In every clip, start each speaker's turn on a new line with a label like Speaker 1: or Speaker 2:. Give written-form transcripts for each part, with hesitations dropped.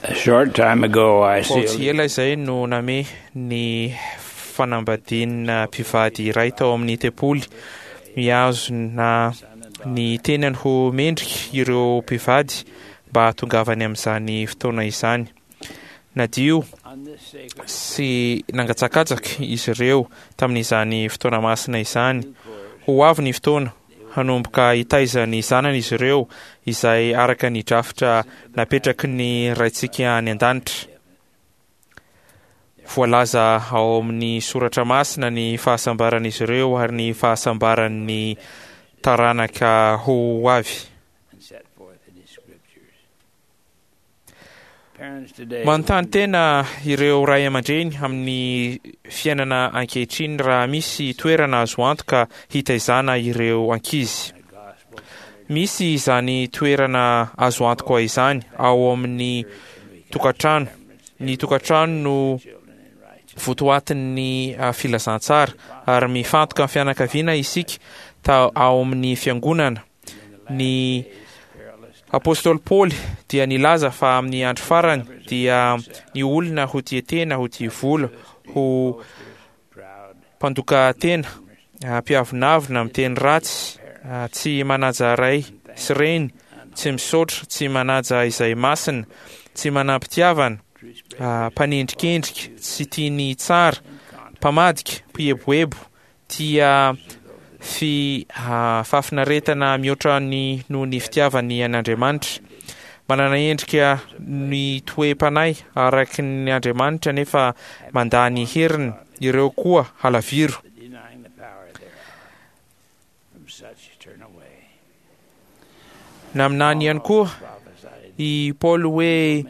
Speaker 1: A short time ago, I
Speaker 2: Vao tsy
Speaker 1: sealed
Speaker 2: ela izay no namehy ny fanambadiana mpivady iray tao amin'ny tempoly. Mihazona ny tenany ho mendrika ireo mpivady mba hahatongavany amin'izany fotoana izany. Nadio sy nangatsakatsaka izy ireo tamin'izany fotoana masina izany. Ho avy ny fotoana hanomboka hitaiza ny zanany izy ireo, izay araka ny drafitra napetraky ny Raintsika any An-danitra. Voalaza ao amin'ny soratra masina ny fahasambaran'izy ireo ary ny fahasambaran'ny taranaka ho avy. Manontany tena ireo ray aman-dreny amin'ny fiainana ankehitriny raha misy toerana azo antoka hitaizana ireo ankizy. Misy izany toerana azo antoka izany ao amin'ny tokantrano. Ny tokantrano no votoatin'ny filazantsara ary mifantoka amin'ny fianakaviana isika ta ao amin'ny fiangonana. Ny apostoly Paoly dia nilaza fa amin'ny andro farany dia ny olona ho tia tena, ho tia vola, ho mpandoka tena, mpiavonavona, miteny ratsy, tsy manaja ray sy reny, tsy misaotra, tsy manaja izay masina, tsy manam-pitiavana, mpanendrikendrika, tsy tia ny tsara, mpamadika, mpieboebo, Tia fi fahafinaretana mihoatra ny noho ny fitiavany an' Andriamanitra. Manana endrika ny toe-panahy araky ny Andriamanitra nefa mandà ny heriny, ireo koa halaviro. Naminany ihany koa i Paoly hoe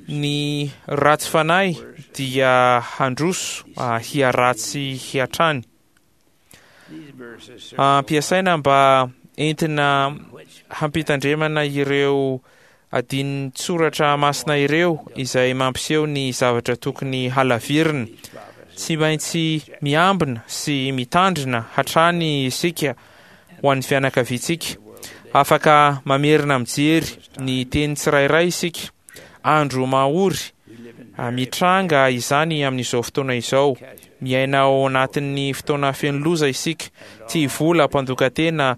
Speaker 2: ny ratsy fanahy dia handroso hiharatsy hatrany. Ampiasaina mba entina hampitandremana ireo Adinin-tsoratra masina ireo izay mampiseho ny zavatra tokony halavirina. Tsy maintsy miambina sy mitandrina hatrany isika ho an'ny fianakaviantsika. Afaka mamerina mijery ny teny tsirairay isika. Andro mahory, mitranga izany amin'izao fotoana izao. Miaina ao anatin'ny fotoana feno loza isika. Tia vola, mpandoka tena,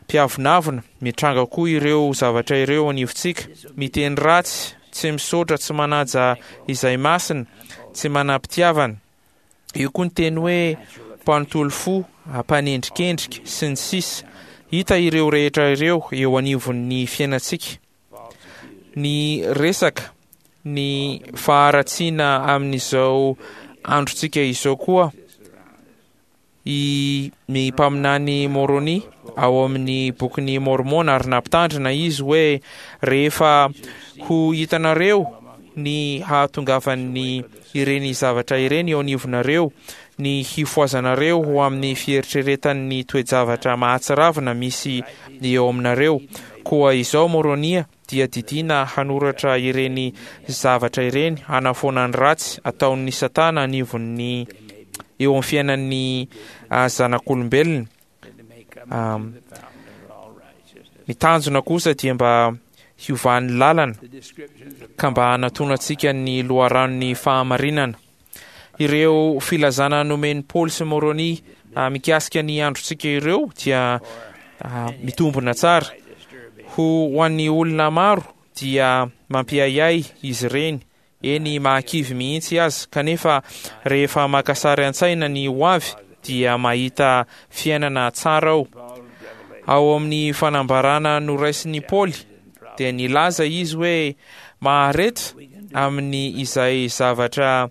Speaker 2: mpiavonavona. Mitranga koa ireo zavatra ireo anivontsika. Miteny ratsy, tsy misaotra, tsy manaja izay masina, tsy manam-pitiavana. Eo koa ny teny hoe mpanontolo fo, mpanendrikendrika, sy ny sisa Hita ireo rehetra ireo eo anivon'ny fiainantsika. Ny resaka ny faharatsiana amin'izao androntsika izao koa i ny mpaminany Môrônia ao amin'ny Bokin'i Môrmôna ary nampitandrina izy hoe rehefa ho hitanareo ny hahatongavan'ny ireny zavatra ireny eo anivonareo, ny hifohazanareo ho amin'ny fieritreretan'ny toe-javatra mahatsiravina misy eo aminareo. Koa izao Môrônia dia didiana hanoratra ireny zavatra ireny hanafoana ny ratsy ataon'ny Satana anivon'ny eo amin'ny fiainan'ny zanak'olombelona. Ny tanjona kosa dia mba hiovan'ny lalana ka mba hanatonantsika ny loharanon'ny fahamarinana. Ireo filazana nomen'i Paoly sy Môrônia mikasika ny androntsika ireo dia mitombina tsara. Ho an'ny olona maro dia mampiahiahy izy ireny, eny mahakivy mihitsy aza, kanefa rehefa maka sary an-tsaina ny ho avy dia mahita fiainana tsara ao. Ao amin'ny fanambarana noraisin'i Paoly dia nilaza izy hoe mahareta amin'ny izay zavatra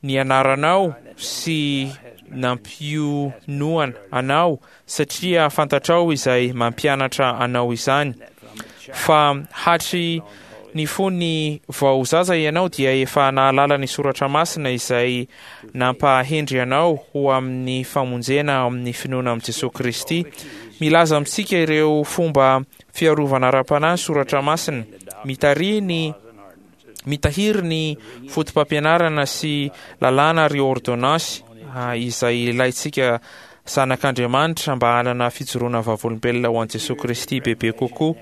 Speaker 2: nianaranao sy nampionoana anao satria fantatrao izay mampianatra anao izany. Fa hatry ny fony vao zaza ianao dia efa nahalala ny soratra masina izay nampahendry anao ho amin'ny famonjena amin'ny finoana amin'i Jesoa Kristy. Milaza amintsika ireo fomba fiarovana ara-panahy ny soratra masina. Mitarihy ny Mitahiry ny fotopampianarana sy lalàna ary ôrdônansy izay ilaintsika zanak'Andriamanitra mba hanana fijoroana vavolombelona ho an'i Jesoa Kristy bebe kokoa.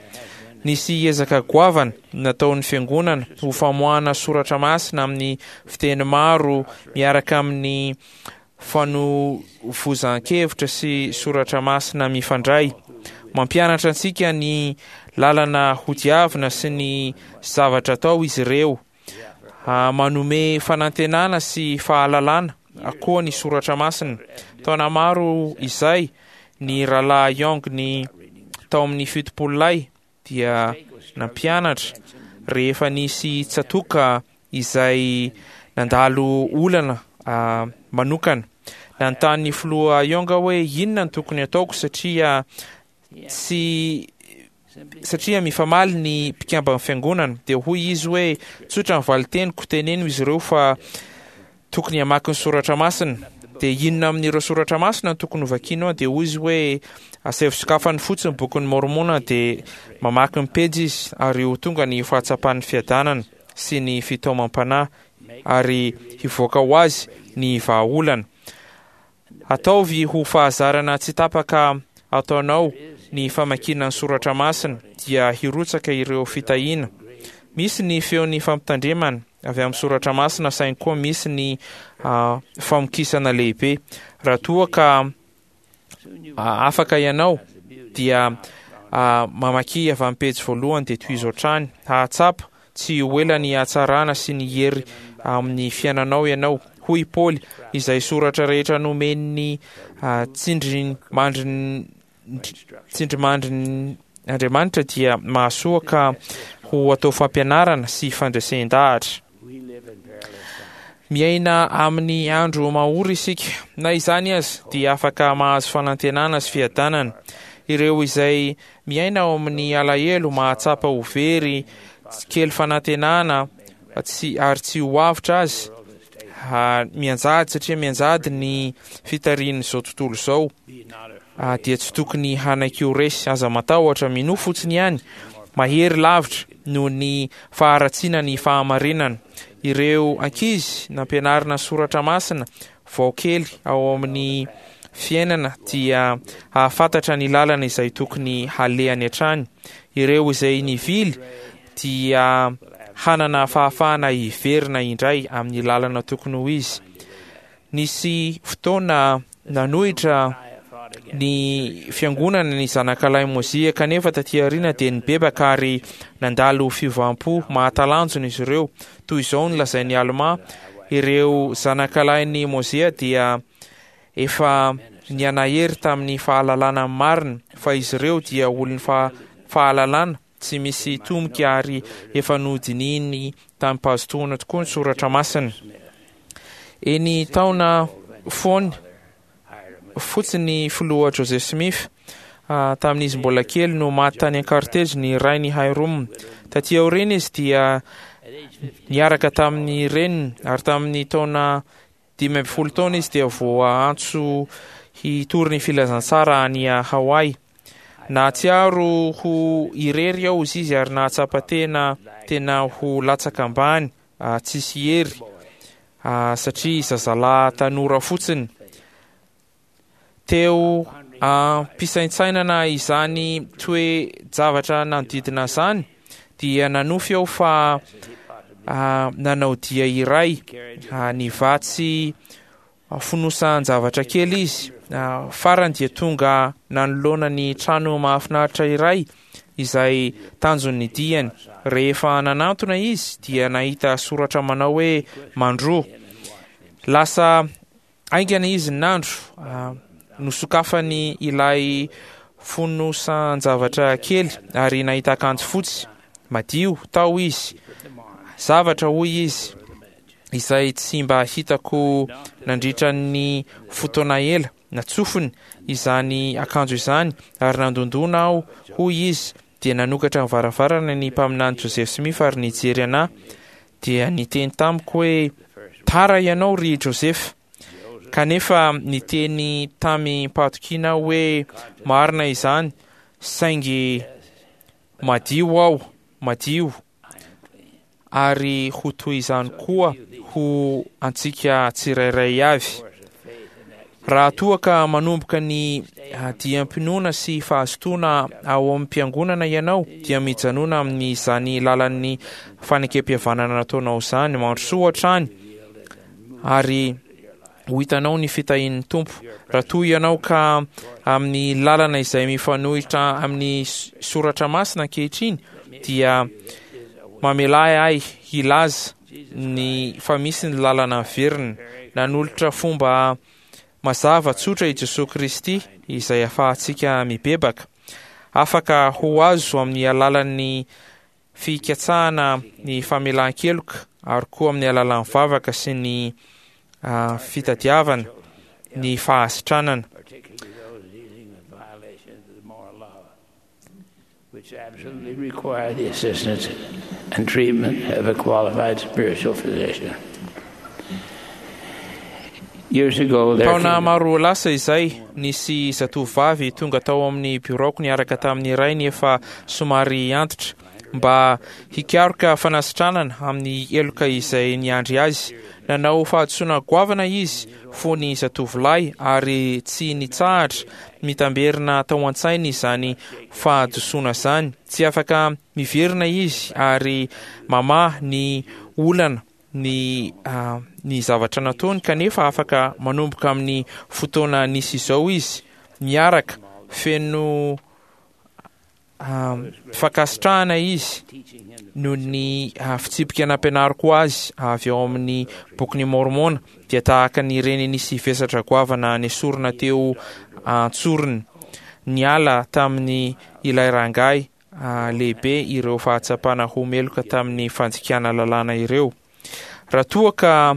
Speaker 2: Nisy ezaka goavana nataon'ny Fiangonana ho famoahana soratra masina amin'ny fiteny maro miaraka amin'ny fanovozan-kevitra sy soratra masina mifandray. Mampianatra antsika ny lalana hodiavina sy ny zavatra atao izy ireo. Manome fanantenana sy fahalalana koa ny soratra masina. Taona maro izay, ny Rahalahy Young ny tao amin'ny Fitopololahy dia nampianatra rehefa nisy tsatoka izay nandalo olana manokana. Nanontany ny Filoha Young hoe inona no tokony hataoko satria tsy satria mifamaly ny mpikamban'ny fiangonana. Dia hoy izy hoe, tsotra ny valin-teniko, teneno izy ireo fa tokony hamaky ny soratra masina. Dia inona amin'ireo soratra masina no tokony hovakianao? Dia hoy izy hoe, asaivo sokafany fotsiny ny bokin'i Môrmôna dia mamaky ny pejy izy ary ho tonga ny fahatsapan'ny fiadanana sy ny fitaomam-panahy ary hivoaka ho azy ny vahaolana. Ataovy ho fahazarana tsy tapaka ataonao ny famakiana ny soratra masina dia hirotsaka ireo fitahiana. Misy ny feon'ny fampitandremana avy amin'ny soratra masina saingy koa misy ny famokisana lehibe. Raha toa ka afaka ianao dia mamakia avy amin'ny pejy voalohany dia tohizo hatrany. Hahatsapa Tsy ho ela ny hatsarana sy ny hery amin'ny fiainanao ianao. Hoy i Paoly, Izay soratra rehetra nomen'ny tsindrimandrin' Andriamanitra dia mahasoa ka ho atao fampianarana sy fandresen-dahatra. Miaina amin'ny andro mahory isika. Na izany aza, dia afaka mahazo fanantenana sy fiadanana. Ireo izay Miaina ao amin'ny alahelo, mahatsapa ho very, kely fanantenana, tsy ary tsy ho avotra azy, mianjady satria mianjady ny fitarihin'izao tontolo izao, dia tsy tokony hanaiky ho resy. Aza matahotra, minoa fotsiny ihany. Mahery lavitra noho ny faharatsiana ny fahamarinana. Ireo ankizy nampianarina soratra masina vao kely ao amin'ny fiainana dia hahafantatra ny lalana izay tokony halehany hatrany. Ireo izay nivily dia hanana fahafahana hiverina indray amin'ny lalana tokony ho izy. Nisy fotoana nanohitra ny fiangonana ny zanakalahy Mozia, kanefa taty aoriana dia nibebaka ary nandalo fiovam-po mahatalanjona izy ireo. Toy izao no lazain'i Almà, Ireo zanakalahin'i Mozia dia efa nihanahery tamin'ny fahalalana ny marina, fa izy ireo dia olon'ny fahalalana tsy misy tomika ary efa nodinihiny tamim-pahazotoana tokoa ny soratra masina. Eny taona fony fotsiny filoha Joseph Smith tamin'izy mbola kely no maty tany Ankaritezy ny rainy Hyrum. Taty aoriana izy dia niaraka tamin'ny reniny ary tamin'ny taona 15 taona izy dia voaantso hitory ny filazantsara any Hawaii. Nahatsiaro ho irery aho izy ary nahatsapa tena tena ho latsaka ambany tsisy hery satria zazalahy tanora fotsiny. Teo am-pisaintsainana izany toe-javatra nanodidina izany dia nanofy aho fa nanao dia iray nivatsy fonosan-javatra kely izy. Farany dia tonga nanoloana ny trano mahafinaritra iray izay tanjon'ny diany. Rehefa nanantona izy dia nahita soratra manao hoe Mandroa. Lasa haingana izy nandro. Nosokafany ilay fonosan-javatra kely ary nahita akanjo fotsy madio tao izy. Zavatra hoy izy. izay tsy mba hitako nandritra ny fotoana ela. Natsofiny izany akanjo izany ary nandondona aho, hoy izy, dia nanokatra ny varavarana ny Mpaminany Joseph Smith ary nijery anà, dia niteny tamiko hoe, Tara ianao ry Joseph. Kanefa niteny tamim-pahatokiana aho hoe, Marina izany, saingy madio aho, madio. ary ho toy izany koa ho antsika tsirairay avy. Raha toa ka manomboka ny diam-pinoana sy fahazotoana ao am-piangonana ianao, dia mijanona amin'izany lalan'ny fanekempihavanana nataonao izany. Mandrosoa hatrany ary ho hitanao ny fitahian'ny Tompo. Raha toa ianao ka amin'ny lalana izay mifanohitra amin'ny soratra masina ankehitriny, dia mamelà ahy hilaza ny fa misy ny lalana miverina. Nanolotra fomba mazava tsotra i Jesoa Kristy izay ahafahantsika mibebaka. Afaka ho azo amin'ny alalan'ny fikatsahana ny famelan-keloka ary koa amin'ny alalan'ny vavaka sy ny fitadiavana ny fahasitranana.
Speaker 1: Which absolutely require the assistance and treatment of a qualified spiritual physician. Years ago, there
Speaker 2: Taona
Speaker 1: came
Speaker 2: maro lasa izay, nisy zatovovavy tonga tao amin'ny biraoko niaraka tamin'ny rainy efa somary antitra mba hikaroka fanasitranana amin'ny heloka izay niandry azy. Nanao fahadisoana goavana izy fony zatovolahy ary tsy nitsahatra mitamberina tao an-tsainy izany fahadisoana izany. Tsy afaka miverina izy ary mamaha ny olana ny ny zavatra nataony kanefa afaka manomboka amin'ny fotoana nisy izao izy miaraka feno fankasitrahana izy noho ny fitsipika nampianariko azy avy ao amin'ny Bokin'i Môrmôna, dia tahaka ny reny nisy vesatra goavana nesorina teo an-tsorony niala tamin'ny ilay rangahy lehibe ireo fahatsapana ho meloka tamin'ny fandikana lalàna ireo. Raha toa ka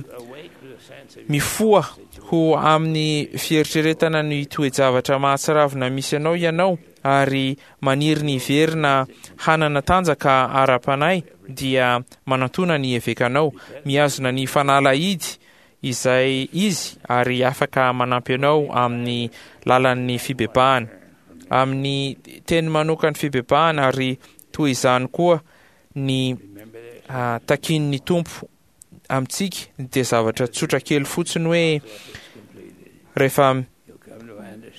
Speaker 2: mifoha ho amin'ny fieritreretana ny toe-javatra mahatsiravina misy anao ianao ary maniry ny hiverina hanana tanjaka ara-panahy, dia manantòna ny evekanao. Mihazona ny fanalahidy izay izy ary afaka manampy anao amin'ny lalan'ny fibebahana. Amin'ny teny manokan'ny fibebahana ary toy izany koa ny takian'ny Tompo amintsika dia zavatra tsotra kely fotsiny hoe rehefa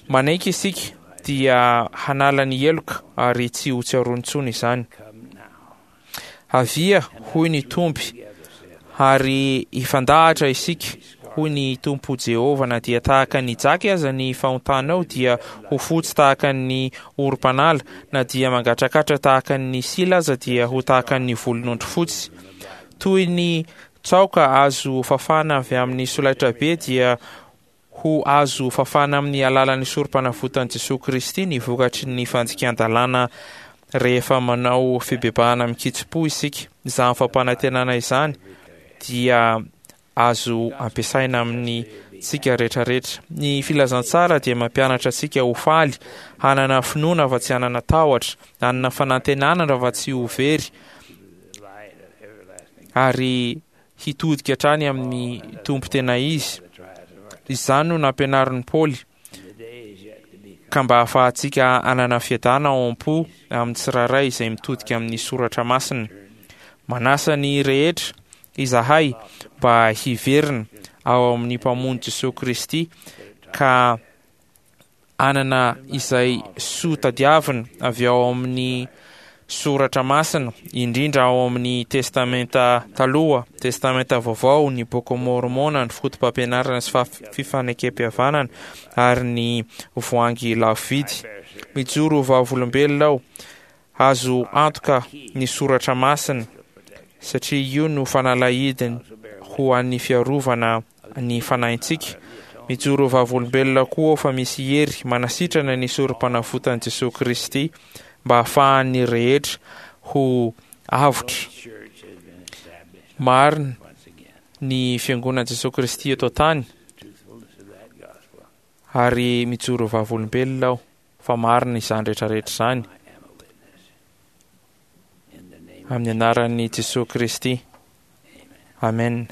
Speaker 2: manaiky isika dia hanala ny heloka ary tsy ho tsiaroany intsony izany. Avia, hoy ny Tompo, ary hifandahatra isika, hoy ny Tompo Jehovah, na dia tahaka ny jaky aza ny fahotanao dia ho fotsy tahaka ny orim-panala, na dia mangatrakatra tahaka ny sila aza dia ho tahaka ny volon'ondry fotsy. Toy ny tsaoka azo fafana avy amin'ny solaitrabe dia ho azo fafana amin'ny alalan'ny sorom-panavotan'i Jesoa Kristy ny vokatry ny fandikan-dalàna rehefa manao fibebahana amin-kitsim-po isika. Izany fampanantenana izany dia azo ampiasaina amin'ny tsika rehetrarehetra. Ny filazantsara dia mampianatra antsika ho faly, hanana finoana fa tsy hanana tahotra, hanana fanantenana fa tsy ho very, ary hitodika hatrany amin'ny Tompo tena izy. Izany no nampianarin'i Paoly, ka mba hahafahantsika hanana fiadana ao am-po amin'ny tsirairay izay mitodika amin'ny Soratra Masina. Manasa ny rehetra izahay mba hiverina ao amin'ny Mpamonjy Jesoa Kristy ka hanana izay soa tadiavina avy ao amin'ny Soratra Masina, indrindra ao amin'ny Testamenta Taloha, Testamenta Vaovao, ny Boky Môrmôna, ny Fotopampianarana sy Fifanekempihavanana, ary ny Voahangy Lafo Vidy. Mijoro ho vavolombelona aho Azo antoka ny soratra masina satria io no fanalahidiny ho an'ny fiarovana ny fanahintsika. Mijoro ho vavolombelona koa aho fa misy hery manasitrana ny sorom-panavotan'i Jesoa Kristy mba hahafahan'ny rehetra ho avotra. Marina ny Fiangonan'i Jesoa Kristy eto an-tany ary mijoro ho vavolombelona aho. fa marina izany rehetra rehetra izany amin'ny anaran'i Jesoa Kristy. Amen.